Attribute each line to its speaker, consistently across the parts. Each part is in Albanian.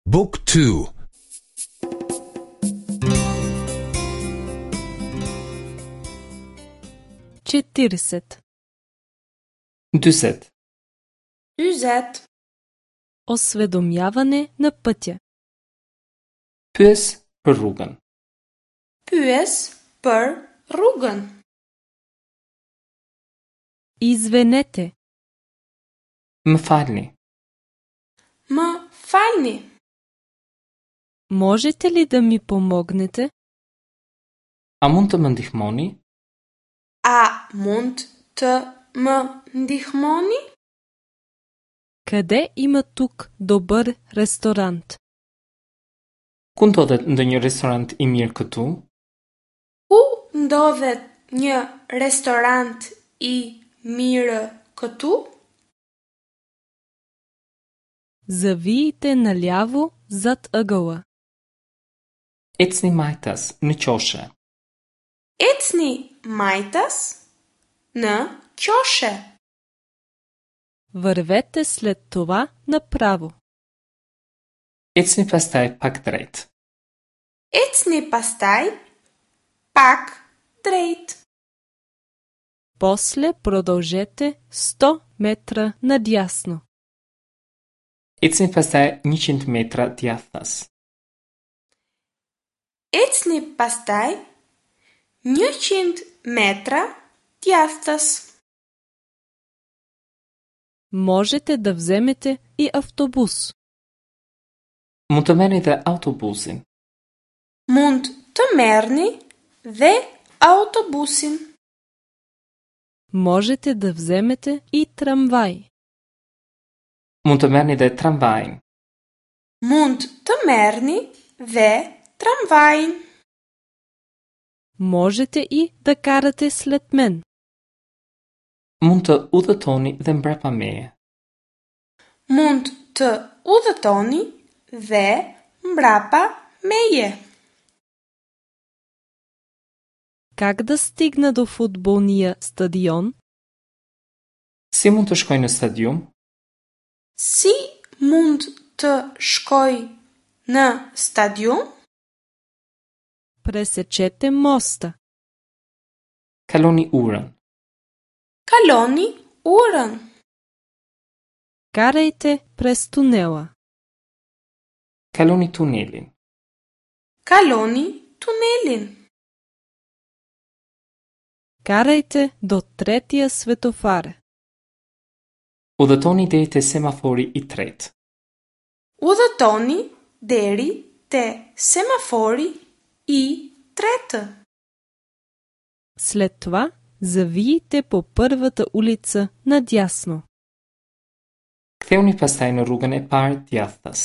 Speaker 1: Book 2
Speaker 2: 40.
Speaker 3: 40.
Speaker 4: 40.
Speaker 2: Осведомяване на пътя.
Speaker 3: Pyes për rrugën.
Speaker 4: Pyes për rrugën.
Speaker 2: Извинете,
Speaker 3: Më falni.
Speaker 4: Më falni.
Speaker 2: можете ли да ми помогнете?
Speaker 3: A mund të më ndihmoni?
Speaker 4: A mund të më ndihmoni?
Speaker 2: Къде има тук добър ресторант?
Speaker 3: Ku ndodhet ndonjë restorant i mirë këtu?
Speaker 4: Ku ndodhet një restorant i mirë këtu?
Speaker 2: Завийте наляво зад ъгъла.
Speaker 3: Ecni majtas në qoshe.
Speaker 4: Ecni majtas në qoshe.
Speaker 2: Вървете след това направо.
Speaker 3: Ecni pastaj pak drejt.
Speaker 4: Ecni pastaj pak drejt.
Speaker 2: После продължете 100 метра надясно.
Speaker 3: Ecni pastaj 100 metra djathtas.
Speaker 4: Ecni pastaj 100 metra djathtas.
Speaker 2: Можете да вземете и автобус.
Speaker 3: Mund të merrni dhe autobusin.
Speaker 4: Mund të merrni dhe autobusin.
Speaker 2: Можете да вземете и трамвай.
Speaker 3: Mund të merrni dhe tramvajin.
Speaker 4: Mund të merrni dhe tramvajin.
Speaker 2: Можете и да карате след мен.
Speaker 3: Mund të udhëtoni dhe mbrapa meje.
Speaker 4: Mund të udhëtoni dhe mbrapa meje.
Speaker 2: Как да стигна до футболния стадион?
Speaker 3: Si mund të shkoj në stadium?
Speaker 4: Si mund të shkoj në stadium?
Speaker 2: Пресечете моста.
Speaker 3: Kaloni urën.
Speaker 4: Kaloni urën.
Speaker 2: Карайте през тунела.
Speaker 3: Kaloni tunelin.
Speaker 4: Kaloni tunelin.
Speaker 2: Карайте до третия светофар.
Speaker 3: Udhëtoni deri te semafori i tretë.
Speaker 4: Udhëtoni deri te semafori i tretë.
Speaker 2: След това завийте по първата улица надясно.
Speaker 3: Kthehuni pastaj në rrugën e parë djathtas.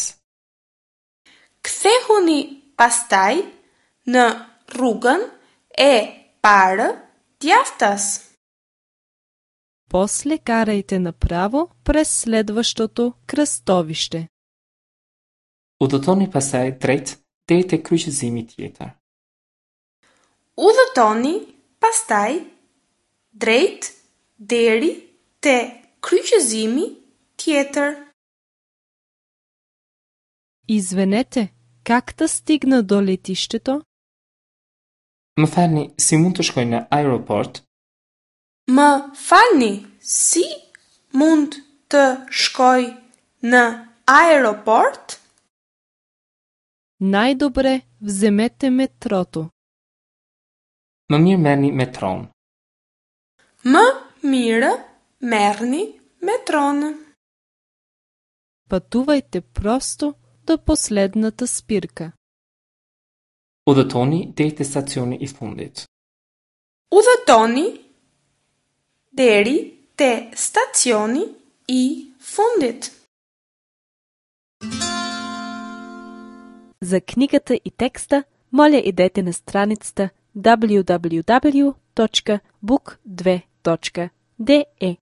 Speaker 4: Kthehuni pastaj në rrugën e parë djathtas.
Speaker 2: После карайте направо през следващото кръстовище.
Speaker 3: Udhëtoni pastaj drejt deri te kryqëzimi tjetër.
Speaker 4: Udhëtoni pastaj drejt deri te kryqëzimi tjetër.
Speaker 2: Извинете, как да стигна до летището?
Speaker 3: Më falni, si mund të shkoj në aeroport?
Speaker 4: Më falni, si mund të shkoj në aeroport?
Speaker 2: Най-добре вземете метрото.
Speaker 3: Më mirë merrni metron.
Speaker 4: Më mirë merrni metronë.
Speaker 2: Пътувайте просто до последната спирка.
Speaker 3: Udhëtoni deri te stacioni i fundit.
Speaker 4: Udhëtoni deri te stacioni i fundit.
Speaker 2: За книгата и текста, моля идете на страницата www.book2.de.